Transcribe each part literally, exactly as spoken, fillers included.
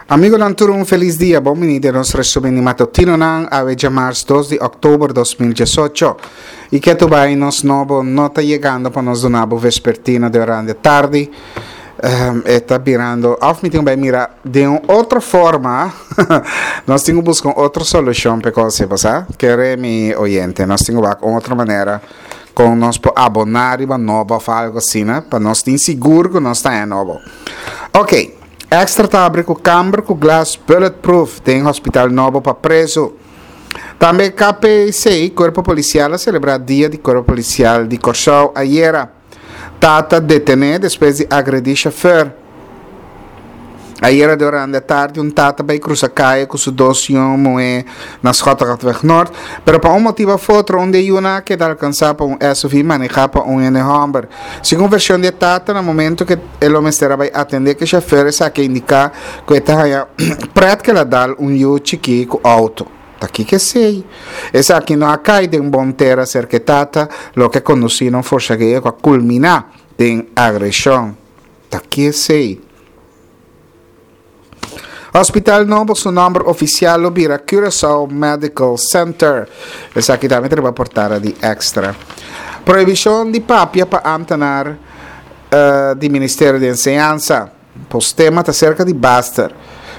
Amigonan tur un felis dia, bon bini den nos resumen di matutinonan, awe djamars dos di òktober dos mil diesocho. I ketu bai nos nobo no ta yegando pa nos duna bo vespertino de orande tardi. Um, e ta birando, of mi tin bai mira den un otro forma, nos tin ku buska un otro solushon pa e kos ei, bo sa? Kere mi oyente, nos tin ku wak un otro manera kon nos por aboná riba nobo of algo asina, pa nos tin sigur ku nos ta haña nobo. Ok. Extra ta abri ku kamber ku glas bulletproof den hospital nobo pa prezu. Tambe K P C, Kuerpo Polisial, a selebrá Dia di Kuerpo Polisial di Kòrsou ayera. Tata detené despues di agredí shofùr. Ayera durante tardi un tata bai krusa kaya ku su dos yu muhé na Schottegatweg Noord, pero pa un motibu òf otro un di e yunan a keda alkansá pa un S U V manehá pa un hende hòmber. Segun vershon di e tata, na momento ku e lo mester a bai atendé ku e shofùr, esaki a indiká ku e ta haña prèt ku el a dal un yu chikí ku outo. Ta kiko esei? Esaki no a kai den bon tera serka e tata, loke a kondusí na un forsageo ku a kulminá den agreshon. Ta ki esei? Hospital nobo su nomber oficial lo bira Curaçao Medical Center. Esaki tambe ta riba portada di Extra. Prohibicion di papia pa ambtenaar uh, di Ministerio di Enseñansa. Postema ta cerca di Baster.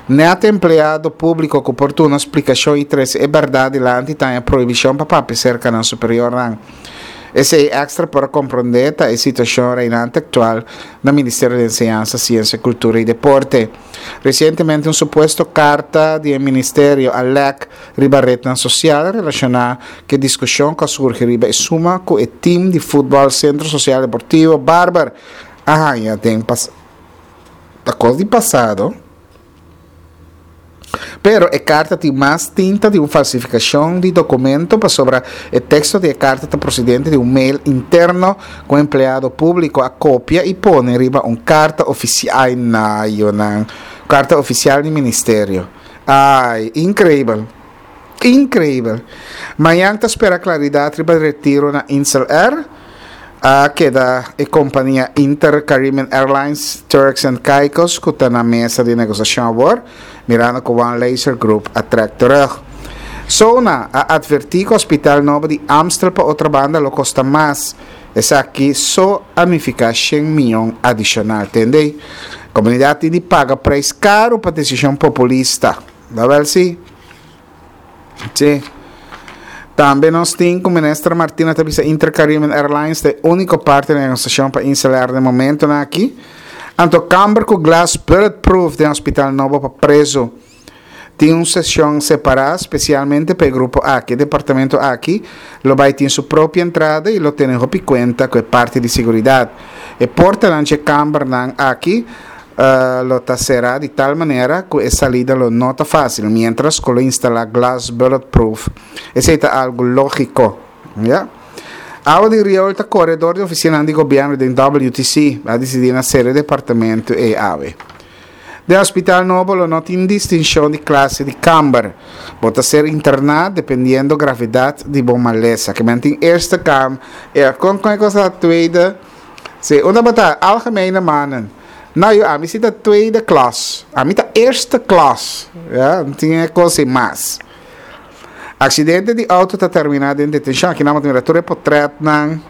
Net empleado publico cu por duna splicacion y trece e berdad dilanti ta prohibicion pa papia cerca nan superiornan. Esey Extra por comprende ta e situacion reinante actual na Ministerio di Enseñansa, Ciencia, Cultura y Deporte. Recientemente un supuesto carta di ministerio a lek riba rednan social relaciona cu discusion cu a surgi riba e suma cu e team di futbol Centro Social Deportivo Barber a haña den pas ta di pasado. Pero e carta tin mas tinta di un falsificacion di documento pasobra e texto di e carta ta procedente di un mail interno cu empleado publico a copia y pone riba un carta oficial na yonan carta oficial di ministerio. Ay, increibel. Increibel. Mañan ta spera claridad riba retiro na Insel Air. A keda e compania Inter Caribbean Airlines, Turks and Caicos, cu ta na mesa di negociacion awor, mirando cu One Laser Group a trek terug. Sona a adverti cu hospital nobo di Amstel pa Otrobanda lo costa mas. Esaki so a nifica shen miyon adicional. Tende? Comunidad tin di paga prijs caro pa decision populista. Da wel si? Si. Tambe nos tin cu minister Martina ta bisa Inter Caribbean Airlines ta e unico parti di negociacion pa Insel Air den momento aki. Anto kamber cu glas bulletproof den hospital nobo pa preso. Tin un sesion separa specialmente pa e grupo aki. E departamento aki lo bay tin su propio entrada y lo tene hopi cuenta cu e parti di seguridad. E portanan di e kambernan aki uh, lo ta sera di tal manera cu e salida lo no ta facil, mientras cu lo instala glass bulletproof. Esey ta algo logico. Ja? Awa di riool ta core door di oficina di gobierno di W T C, a dicidi na sera departamento e awe. Den hospital nobo lo no tin distincion di clase di kamber. Bo ta ser interna dependiendo gravedad di bo malesa. Kiermen tin eerste kamer, ja, con con cos tweede. Si, unda bo ta algemene mannen. Nou, joh, ami si ta tweede klas. Ami ta eerste klas. Ja, no tin cos mas. Accidente di auto ta termina den detencion. Aki nan tin tur portretnan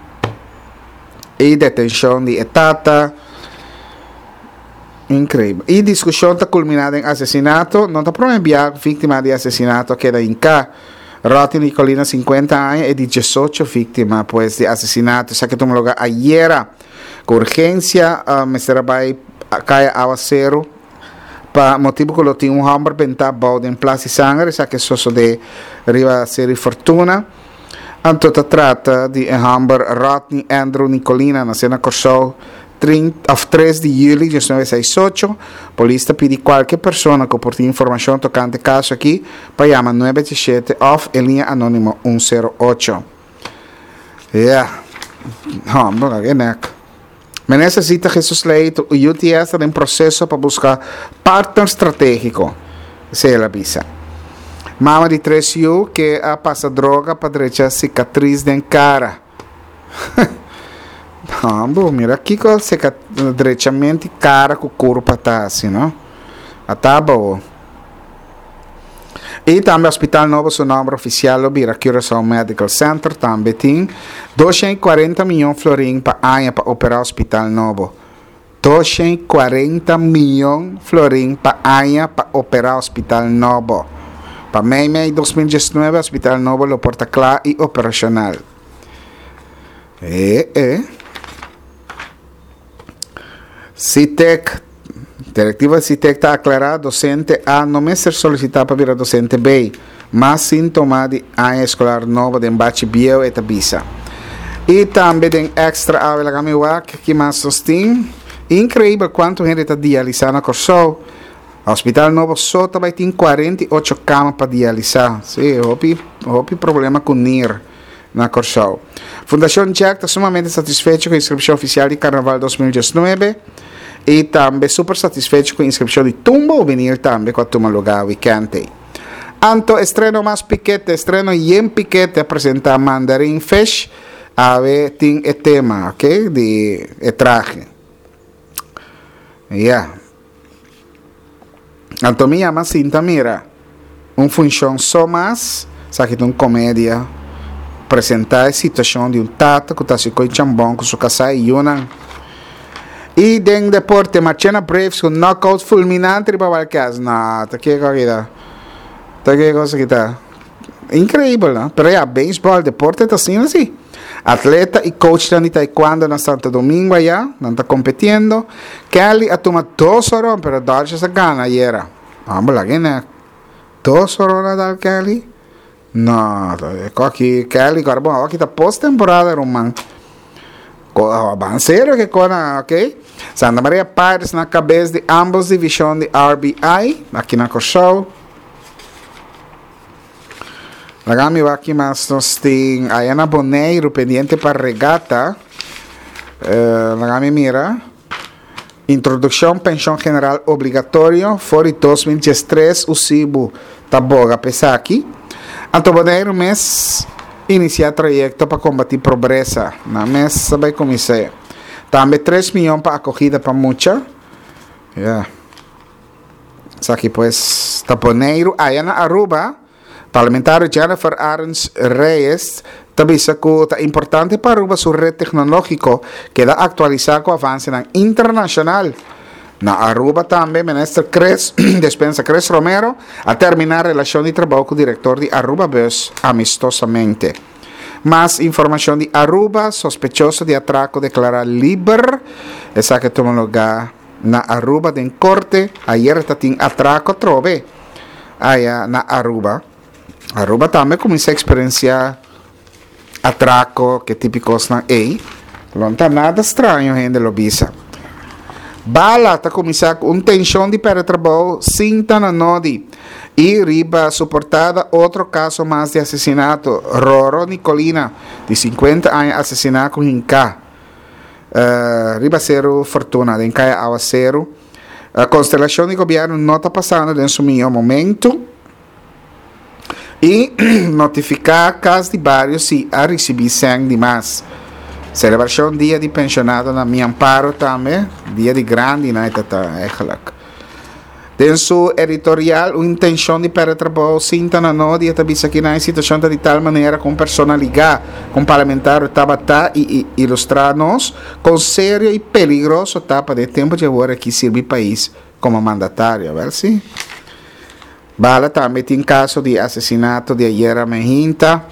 y detencion di e tata. Increibel. E discusion ta culmina den asesinato. No ta prome victima di asesinato keda hinca. Rodney Nicolina, cincuenta aña, y di diesocho victima, pues, di asesinato. Esaki a tuma luga ayera. Cu urgencia, uh, mester a bay Caya Awacero pa motibo cu lo tin un homber benta bou den plas di sanger. Esaki a sosode riba Seri Fortuna. Anto ta trata di un homber Rodney Andrew Nicolina, naci na Corsou trinta, of tres di juli di mil novecientos sesenta y ocho. Polis ta pidi cualkier persona cu por tin informacion tocante e caso aki pa yama nuebe siete of e liña anonimo un sero ocho. Ja. Yeah. Oh, nek. Minister Zita Jesus Leito, U T S ta den proceso pa busca partner strategico. Esey el a bisa. Mama di tres yiu cu a pasa droga pa drecha cicatriz den cara. Ambo, mira kico drechamento cara cu curpa ta asina, no? Ata bo. I tambe Hospital Nobo su nòmber ofisial lo bira Curaçao Medical Center. Tambe tin doshen i kuarenta mion florin pa aña pa operá Hospital Nobo. Doshen i kuarenta mion florin pa aña pa operá Hospital Nobo. Pa mei mei dos mil diesnuebe Hospital Nobo lo por ta kla i operashonal. E e. Sitek, Direktiva di Sitek ta aklará, dosente A no mester solisitá pa bira dosente B. Mas síntoma di aña eskolar nobo den bachi bieu, e ta bisa. I tambe den Extra awe laga mi wak ki mas nos tin. Inkreibel kuantu hende ta dialisá na Kòrsou. Hospital nobo so ta bai tin kuarenta i ocho kama pa dialisá. Sí, hopi hopi problema ku nir na Kòrsou. Fundashon Jack ta sumamente satisfecho ku inskripshon ofisial di Karnaval dos mil diesnuebe i tambe super satisfecho ku inskripshon di Tumba Hubenil tambe ku a tuma lugá wikènt ei. Anto estreno mas pikete, estreno yen pikete a presentá Mandarin Fish, awe tin e tema, ok, di e trahe. Ya. Anto mi yama sinta mira un funshon so mas, esaki ta un komedia, presentá e situashon di un tata ku ta hasi koi chambon ku su kasá i yunan. I den deporte, Marchena Braves ku knockout fulminante riba Wildcats. No, ta kiko aki ta? Ta ke kos aki ta? Inkreibel, no? Pero ya, beisbòl, deporte ta asina si. Atleta i coachnan di taekwondo na Santo Domingo aya, nan ta kompetiendo. Kelly a tuma dos horon, pero Dodgers a gana ayera. Homber, laga e nek. Dos horon a dal Kelly? No, e ko aki Kelly, kor bon, awor aki ta post-temporada, ruman. Ban serio ke kona, ok? Santa Maria Pirates na kabes di ambos divishon di R B I, aki na Kòrsou. Laga mi wak ki mas nos tin aya na Boneiru pendiente pa regata. Eh, laga mi mira. Introdukshon penshon general obligatorio for di dos mil diestres Usibu ta boga pa esaki. Anto Boneiru mes inisiá trayekto pa kombatí pobresa. Nan mes a bai kumins'é. Tambe tres mion pa akogida pa mucha. Ya. Esaki pues ta Boneiru. Aya na Aruba, parlamentario Jennifer Arends Reyes ta bisa ku ta importante pa Aruba su red teknológiko keda aktualisá ku avansenan internashonal. Na Aruba tambe Minister Chris Despensa Chris Romero a terminá relashon di trabou ku direktor di Aruba Bus amistosamente. Mas informashon di Aruba, sospechoso di atrako deklará liber. Esaki a tuma lugá na Aruba den korte. Ayer ta tin atrako atrobe aya na Aruba. Aruba tambe kuminsá eksperensiá atrako, ke tipo kosnan ei. Lo no ta nada straño hende lo bisa. Bala ta kuminsá ku un tenshon di pèrdè trabou sin ta na nodi. I riba su portada otro kaso mas di asesinato, Roro Nicolina, di sinkuenta aña asesiná ku hinká riba Seru Fortuna den Kaya Awaseru. Konstelashon di gobièrnu no ta pasando den su mihó momentu. I notifiká kas di bario si a risibí sèn di mas. Selebrashon dia di penshonado na Mi Amparo tambe, dia di grandinan e ta ta eigenlijk. Den su editorial Un intenshon di pèrdè trabou sinta na no dia ta bisa kinan e situashon ta di tal manera ku un persona ligá ku un parlamentario tabata i ilustrá nos kon serio i peligroso ta pa den tempu dje awor aki sirbi pais komo mandatario. Awèl si. Bala tambe tin kaso di asesinato di ayera mehinta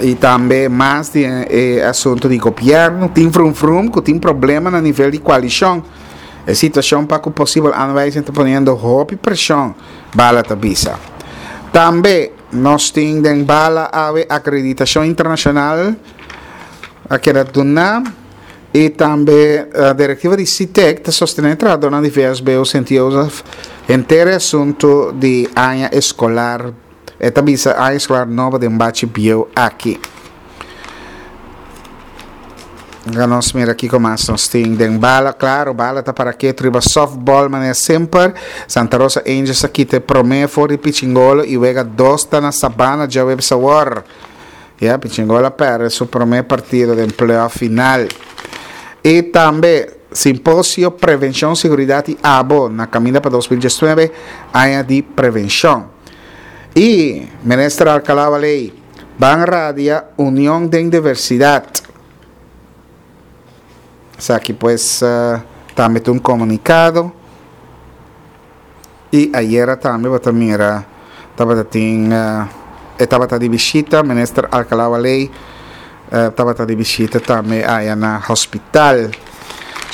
i tambe mas di e asunto di gobièrnu. Tin frum frum ku tin problema na nivel di koalishon. E situashon pa ku posibel aanwijzing ta poniendo hopi preshon, Bala ta bisa. Tambe nos tin den Bala awe akreditashon internashonal a keda duná. I tambe direktiva di SITEC ta sostené trahadónan di V S B O Sint Jozef henter e asuntu di aña eskolar. E ta bisa aña eskolar nobo den bachi bieu aki. Laga nos mira kiko mas nos tin den bala. Klaro, bala ta para ketu riba softball manera semper. Santa Rosa Angels a kita e promé for di Pichingolo i wega dos ta na Sabana djaweps awor. Ya, Pichingolo a perde su promé partido den playoff final. I tambe Simposio Prevenshon, Seguridat i Abo na kaminda pa dos mil diesnuebe, aña di prevenshon. I Minister Alcalá-Wallé, Ban radia union den diversidat. Esaki pues tambe ta un komunikado. I ayera tambe bo ta mira tabata tin e tabata di bishita Minister Alcalá-Wallé tabata di bishita tambe aya na hospital.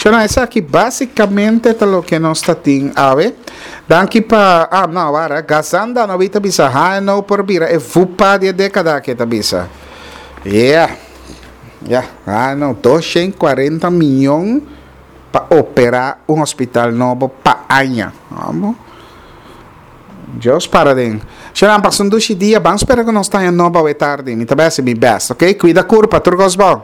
Shona, esaki básicamente ta loke nos ta tin awe. Danki pa, ah, no, wara, Gazanda no ta bisa, ha, no por bira e vupa di e década aki ta bisa. Yeah. Yeah, ah, no, doscientos cuarenta miyon pa opera un hospital nobo pa aña. Vamos. Dios para den. Shona, pasa un dushi dia, ban spera ku nos ta nobo awe tardi. Mi ta bai hasi mi best, ok? Cuida curpa, tur cos bon.